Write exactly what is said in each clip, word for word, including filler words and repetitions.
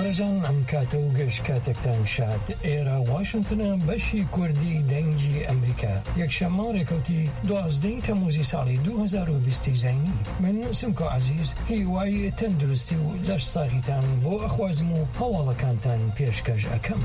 هەرجان ئەم کاتە و گەشت کاتێکتان شاد. ئێرە واشنگتنە، بەشی کوردی دەنگی ئەمریکا. یەکشەممە ڕێکەوتی دوازدەی تەموزی ساڵی دوو هەزار و بیست زینی. من سمکۆ عەزیز هیوای تەندروستی و لەش ساغیتان بۆ ئەخوازم و هەواڵەکانتان پێشکەش ئەکەم.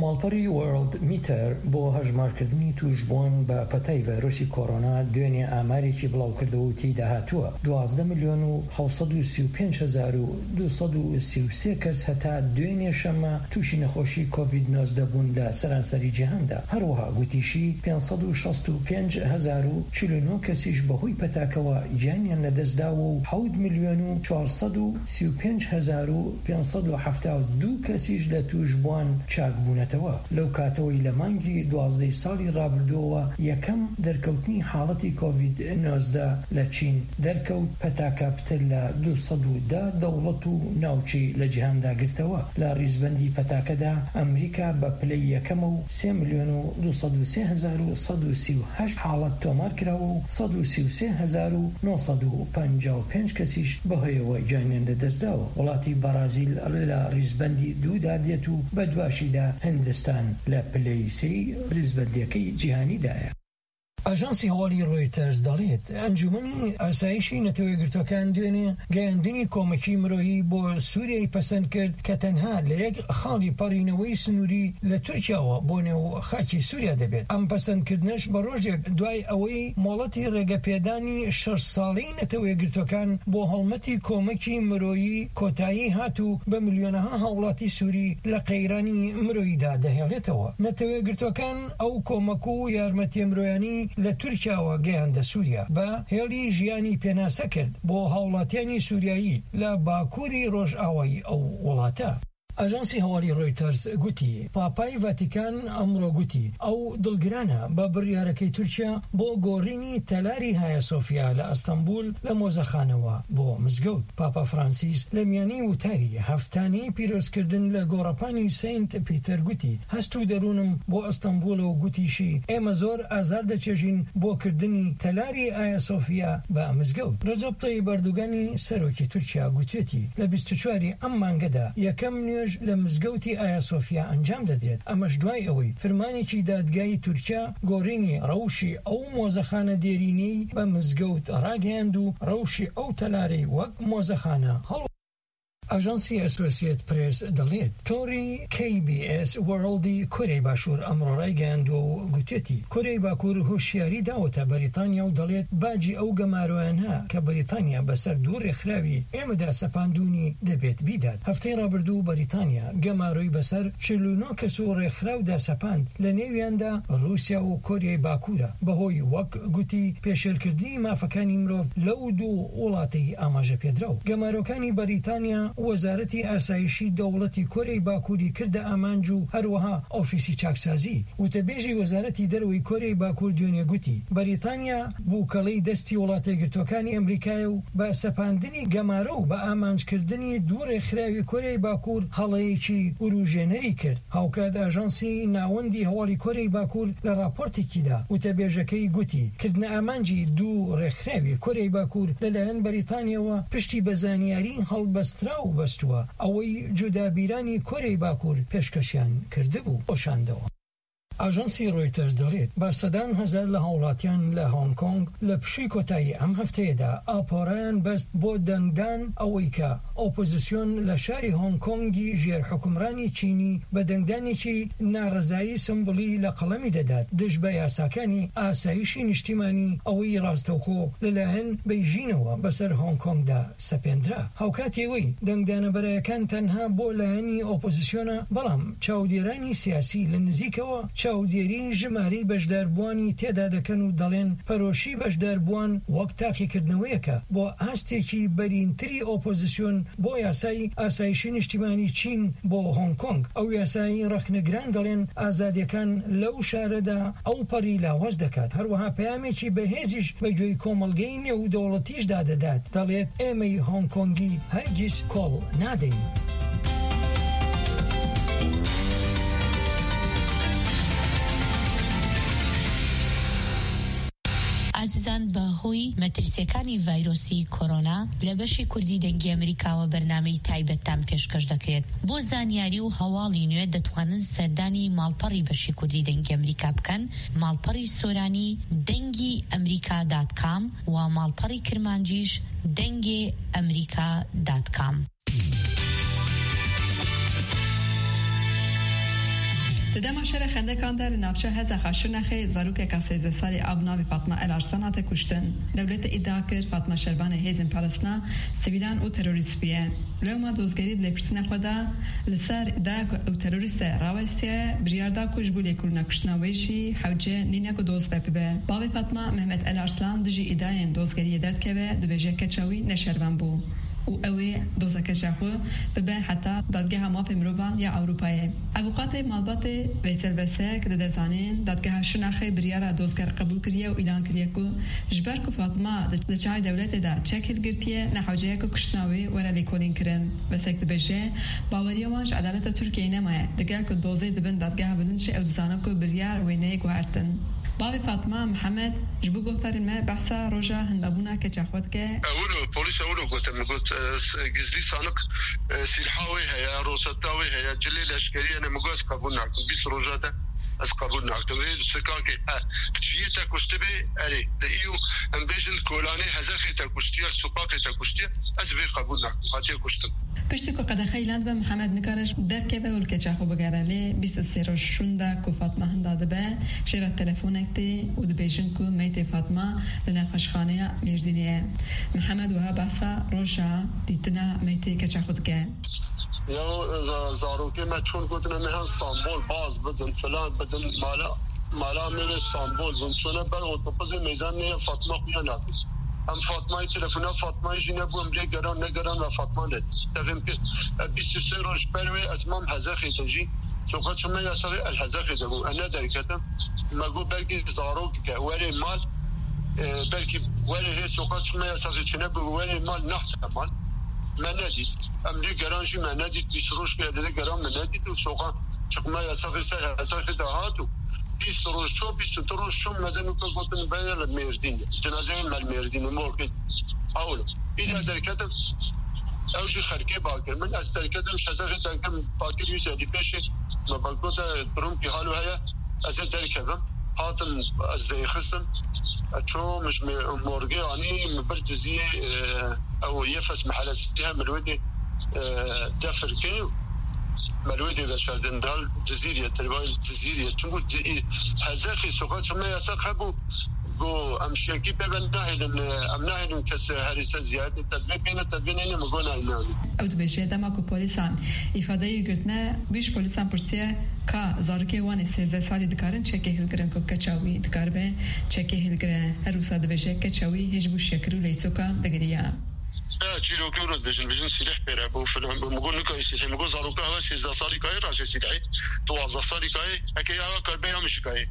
ماڵپەڕی وەرلد میتەر بۆ هەژمارکردنی توشبووان بە پەتای ڤایرۆسی کۆرۆنا دوێنێ ئامارێکی بڵاوکردەوە و تێیدا هاتووە دوازدە ملیۆن و حەوت سەد و سی و پێنج هەزار و دوو سەد و سی و سێ کەس هەتا دوێنێ شەممە تووشی نەخۆشی کۆڤید نۆزدە بوون لە سەرانسەری جیهاندا. هەروەها گوتیشی پێنج سەد و شەست و پێنج هەزار و چل و نۆ کەسیش بەهۆی پەتاکەوە گیانیان لەدەستداوە و حەوت ملیۆن و چوار سەد و سی و پێنج هەزار و پێنج سەد و حەفتا و دوو کەسیش لە توشبووان چاک بوونەتەوە. لەو کاتەوەی لە مانگی دوازدەی ساڵی ڕابردووەوە یەکەم دەرکەوتنی حاڵەتی کۆڤید نۆزدە لە چین دەرکەوت، پەتاکە پتر لە دوو سەد و دە دەوڵەت و ناوچەی لە جیهاندا گرتەوە. لە ڕیزبەندی پەتاکەدا ئەمریکا بە پلەی یەکەمە و سێ ملیۆن و دوو سەد و سێ هەزار و سەد و سی و هەشت حاڵەت تۆمار کراوە و سەد و سی و سێ هەزار و نۆ سەد و پەنجا و پێنج کەسیش بەهۆیەوە گیانیان لەدەستداوە. وڵاتی بەرازیل لە ڕیزبەندی دوودا دێت و بە دواشیدا هندستان لە پلەی سێی ڕیزبەندیەکەی جیهانیدایە. ئاژانسی هەواڵی ڕۆیتەرز دەڵێت ئەنجومەنی ئاسایشی نەتەوە یەکگرتوەکان دوێنێ گەیاندنی کۆمەکی مرۆیی بۆ سووریای پەسەند کرد کە تەنها لە یەک خاڵی پەڕینەوەی سنووری لە تورکیاوە بۆ نێو خاکی سووریا دەبێت. ئەم پەسەندکردنەش بە ڕۆژێک دوای ئەوەی مۆڵەتی ڕێگەپێدانی شەش ساڵەی نەتەوە یەکگرتوەکان بۆ هەڵمەتی کۆمەکی مرۆیی کۆتایی هات و بە ملیۆنەها هاوڵاتی سووری لە قەیرانی مرۆییدا دەهێڵێتەوە. نەتەوە یەکگرتوەکان ئەو کۆمەک و یارمەتیە مرۆیانی لە تورکیاوە گەیاندە سووریا، بە هێڵی ژیانی پێناسە کرد بۆ هاوڵاتیانی سووریایی لە باکووری ڕۆژئاوایی ئەو وڵاتە. ئاژانسی هەواڵی ڕۆیتەرز گوتی پاپای ڤاتیکان ئەمڕۆ گوتی ئەو دڵگرانە بە بڕیارەکەی تورکیا بۆ گۆڕینی تەلاری هایا سۆفیا لە ئەستەنبول لە مۆزەخانەوە بۆ مزگەوت. پاپا فرانسیس لە میانی وتاری هەفتانەی پیرۆزکردن لە گۆڕەپانی سەینت پیتەر گوتی هەست و دەروونم بۆ ئەستەنبولە و گوتیشی ئێمە زۆر ئازار دەچێژین بۆ کردنی تەلاری ئایا سۆفیا بە مزگەوت. ڕەجەب تەیب ئەردوگانی سەرۆکی تورکیا گوتێتی لە بیست و چواری ئەم مانگەدا یەکەم نوێژ لە مزگەوتی ئایا سۆفیا ئەنجام دەدرێت. ئەمەش دوای ئەوەی فرمانێکی دادگای تورکیا گۆڕینی ڕەوشی ئەو مۆزەخانە دێرینەی بە مزگەوت ڕاگەیاند و ڕەوشی ئەو تەلارەی وەک مۆزەخانە هەڵ ئاژانسی ئەسۆسیێت پرێس دەڵێت تۆڕی کەی بی ئێس وەرڵدی کۆریای باشوور ئەمڕۆ ڕایگەیاندووە و گوتێتی کۆریای باکوور هۆشیاری داوەتە بەریتانیا و دەڵێت باجی ئەو گەمارۆیانە کە بەریتانیا بەسەر دوو ڕێکخراوی ئێمەدا سەپاندوونی دەبێت بیدات. هەفتەی ڕابردوو بەریتانیا گەمارۆی بەسەر چل و نۆ کەس و ڕێکخراودا سەپاند، لە نێویاندا رووسیا و کۆریای باکوورە، بەهۆی وەک گوتی پێشێلکردنی مافەکانی مرۆڤ لەو دوو وڵاتەی ئاماژە پێدراو. گەمارۆکانی بەریتانیا وەزارەتی ئاسایشی دەوڵەتی کۆریای باکووری کردە ئامانج و هەروەها ئۆفیسی چاکسازی. وتەبێژی وەزارەتی دەرەوەی کۆریای باکوور دوێنێ گوتی بەریتانیا بووکەڵەی دەستی وڵاتە یەکگرتووەکانی ئەمریکایە و بە سەپاندنی گەمارۆ و بە ئامانجکردنی دوو ڕێکخراوی کۆریای باکوور هەڵەیەکی وروژێنەری کرد. هاوکات ئاژانسی ناوەندی هەواڵی کۆریای باکوور لە راپۆرتێکیدا وتەبێژەکەی گوتی کردنە ئامانجی دوو ڕێکخراوی کۆریای باکوور لەلایەن بەریتانیەوە پشتی بە زانیاری هەڵبەستراو بەستووە، ئەوەی جودابیرانی کۆریای باکوور پێشکەشیان کردبوو، خۆشاندەوە. ئاژانسی ڕۆیتەرز دەڵێت بە سەدان هەزار لە هاوڵاتیان لە هۆنگ کۆنگ لە پشووی کۆتایی ئەم هەفتەیەدا ئاپۆرایان بەست بۆ دەنگدان، ئەوەی کە ئۆپۆزیسیۆن لە شاری هۆنگ کۆنگی ژێر حکومڕانی چینی بە دەنگدانێکی ناڕەزایی سمبڵی لە قەڵەمی دەدات دژ بە یاساکانی ئاسایشی نیشتیمانی، ئەوەی ڕاستەوخۆ لەلایەن بەیژینەوە بەسەر هۆنگ کۆنگدا سەپێندرا. هاوکاتی ئەوەی دەنگدانە بەرایەکان تەنها بۆ لایەنی ئۆپۆزیسیۆنە، بەڵام چاودێرانی سیاسی لە نزیکەوە چاودێری ژمارەی بەشداربووانی تێدا دەکەن و دەڵێن پەرۆشی بەشداربووان وەک تاقیکردنەوەیەکە بۆ ئاستێکی بەرینتری ئۆپۆزیسیۆن بۆ یاسای ئاسایشی نیشتیمانی چین بۆ هۆنگ کۆنگ. ئەو یاسایی ڕەخنەگران دەڵێن ئازادیەکان لەو شارەدا ئەو پەڕی لاواز دەکات. هەروەها پەیامێکی بەهێزیش بە گوێی کۆمەڵگەی نێودەوڵەتیشدا دەدات، دەڵێت ئێمەی هۆنگ کۆنگی هەرگیز کۆڵ نادەین. ئازیزان، بە هۆی مەترسیەکانی ڤایرۆسی کۆرۆنا، لە بەشی کوردی دەنگی ئەمریکاوە بەرنامەی تایبەتتان پێشکەش دەکرێت. بۆ زانیاری و هەواڵی نوێ دەتوانن سەردانی ماڵپەڕی بەشی کوردی دەنگی ئەمریکا بکەن، ماڵپەڕی سۆرانی دەنگی ئەمریکا دات کام و ماڵپەڕی کرمانجیش دەنگێ ئەمریکا دات کام. Di dema şerê xendekan de li navçeya Hezexa Şirnexê zarokeka sêzdeh salî a bi navê Fatma El Arslan hate kuştin. Dewletê îdia kir Fatma şervanê hêzên parastina sivîlan û terorîst bûye. Lewma dozgerî di lêpirsîna xwe de li ser îdaya ku ew terorîst e rawestiye, biryar da ku ji bo lêkolîna kuştina wê jî hewce nîne ku doz ve bibe. Bavê Fatma Mehmet El Arslan dijî îdayên dozgeriyê derdikeve, dibêje keça wî ne şervan bû û ew ê doza keça xwe bibe heta Dadgeha Mafê Mirovan ya Ewropayê. Avûkatê malbatê Veysel Besek dide zanîn, Dadgeha Şirnexê biryara dozger qebûl kiriye û îlan kiriye ku ji ber ku Fatma di, di çavê dewletê de çek hilgirtiye, ne hewce ye ku kuştina wê were lêkolîn kirin. Besek dibêje, baweriya wan ji edaleta Tirkiyeyê nemaye, digel ku dozê di bin dadgeha bilind jî ew dizanin ku biryar wê neyê guhertin. Bavê Fatma Mihemed ji bo guhdarên me behsa roja hindabûna keça xwe dike. Ewilo, polîs ewilo gote, min got, e, s-, gizlî sanık, e, silha wê heye, rosetta wê heye, cilê leşkerî hene, min got, ez qebûl nakim. Bîst roja de ez qebûl nakim. Vê sikakê, e, ji yê te kuştibê, erê, li î û em bêjin kolanê hezexê te kuştiye, suqaqê te kuştiye, ez vê qebûl nakim. Hatiye kuştin. Piştî ku qedexe îlan dibe, Mihemed nikare ji derkeve û li keça xwe bigere, lê bîst û sê roj şûnde ku Fatma hinda dibe, jê re telefonek tê û dibêjin ku meytê Fatma li nexweşxaneya Mêrdînê ye. Mihemed wiha behsa roja dîtina meytê keça xwe dike. Ya za-, zarokê me çûn, gotin, em ê hen Stenbol, baz bidin, filan bidin, mala, mala me li Stenbol bûn. Çûne ber otobusê mêzan neye Fatma xuya nakin. Em Fatmayê telefona, Fatmayê jî nebû, em lê geran, negeran ve Fatma ne. Tevim kir. E, bîst û sê roj ber wê ez mam Hezexê de jî. Soqa çime yasavê el Hezexê de bû. E, ne derketim. Me got belkî zarok ke, werê mal, e, belkî werê hê soqa çime yasavê çine bû, werê mal nahte mal. Me nedît. Em lê geran jî me nedît. Bîst roj ke lê geran me nedît û soqa çime yasavê ser Hezexê de hat û bîst roj ço, bîst û du roj ço, me de nûke gotin bere li Mêrdîn. Cinazeyê me li Mêrdîn, morgê. Ewlo. Îca derketim, ew jî xelkê bakir. Min ez derketim, şezexê derketim, bakir wî zedî pêşê. Me bakgote, durum ki halo heye, ez ê derkevim. Hatim, ez deyxistim. Ço min ji me-, morgê anî, min bir Cizîrê, e, ew Yefes mehelesî heye, min wê dê, e, defir kir. Me wê dê veşardin dal Cizîrê, televayî Cizîrê. Çimkû Ci-, Hezexê sokaç me yasak hebû. Got, em şiyekî pê ve nahêlin, em nahêlin kes herî ser ziyaretê tedbê bêne, tedbê neyne, min got, nayê, nayê. Ew dibêje, dema ku polîsan îfadeyê wî girtine, wî ji polîsan pirsiye, ka zarokê wan ê sêzdeh salî dikarin çekê hilgirin ku keça wî dikaribe çekê hilgire. Her wisa dibêje, keça wî hê ji bo şiyekir û leysokan digiriya. Ya, çîrokê wilo dibêjin, dibêjin sîleh pêre bû, filan bû. Min got, nikayê sîlehê. Min got, zaroka hewa sêzdeh salî kayê raşê sîlehê. Duwazdeh salî kayê. Eke ya hewa karibe ya min jî kayê.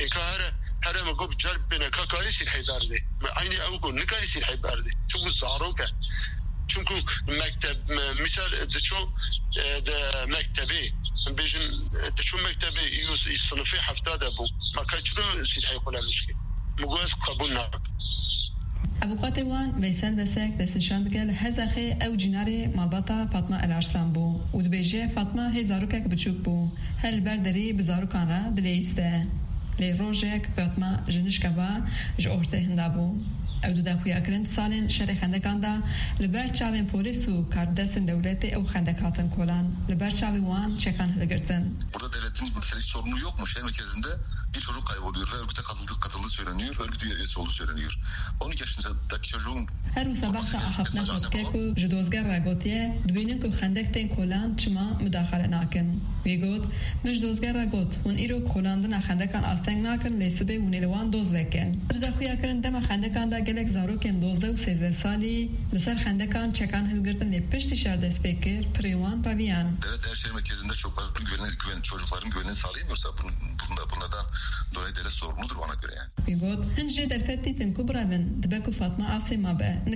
Êka here, here min got, bi cer bêne ka kayê sîlehê berdê. Me eynî ew got, nikayê sîlehê berdê. Çimkû zarok e. Çimkû mekteb, me, misal, diço, e, di mektebê, bêjin, e, diço mektebê, î, î sinifê hefta de bû. Me kay çilo sîlehê xwe le mişkê. Min got, ez qebûl nakim. Avûkatê wan Veysel Besek destnîşan dike li Hezexê ew cînarê malbata Fatma El Arslan bû û dibêje, Fatma hê zarokek biçûk bû, her li ber derî bi zarokan re dileyîste. Lê rojek Fatma ji nişka va ji ortê hinda bû. Ew dide xuyakirin di salên şerê xendekan de li ber çavên polîs û karbidestên dewletê ew xendek hatin kolan, li ber çavê wan çekan hilgirtin. Burada devletin mesela hiç sorumluluğu yok mu? Şehir merkezinde bir çocuk kayboluyor ve örgüte katıldığı, katıldığı söyleniyor, örgüt üyesi olduğu söyleniyor. On iki yaşındaki çocuğun Her wisa behsa axaftina xwe dike ku ji dozger re gotiye, dibînin ku xendek tên kolan, çima mudaxale nakin. Wî got, min ji dozger re got, hûn îro kolandina xendekan asteng nakin, lê sibê hûn ê li wan doz vekin. Ew dide xuyakirin dema xendekan de gelek zarokên dozdeh û sêzdeh salî li ser xendekan çekan hilgirtin, lê piştî şer dest pê kir, pirê wan reviyan. Devlet eğer şehir merkezinde çocukların güvenine, güven, çocukların güvenini sağlayamıyorsa bunun, bunda, bunlardan dolayı devlet sorumludur bana göre yani. Wî got, hin jê derfet dîtin ku birevin, dibe ku Fatma asê mabe, nika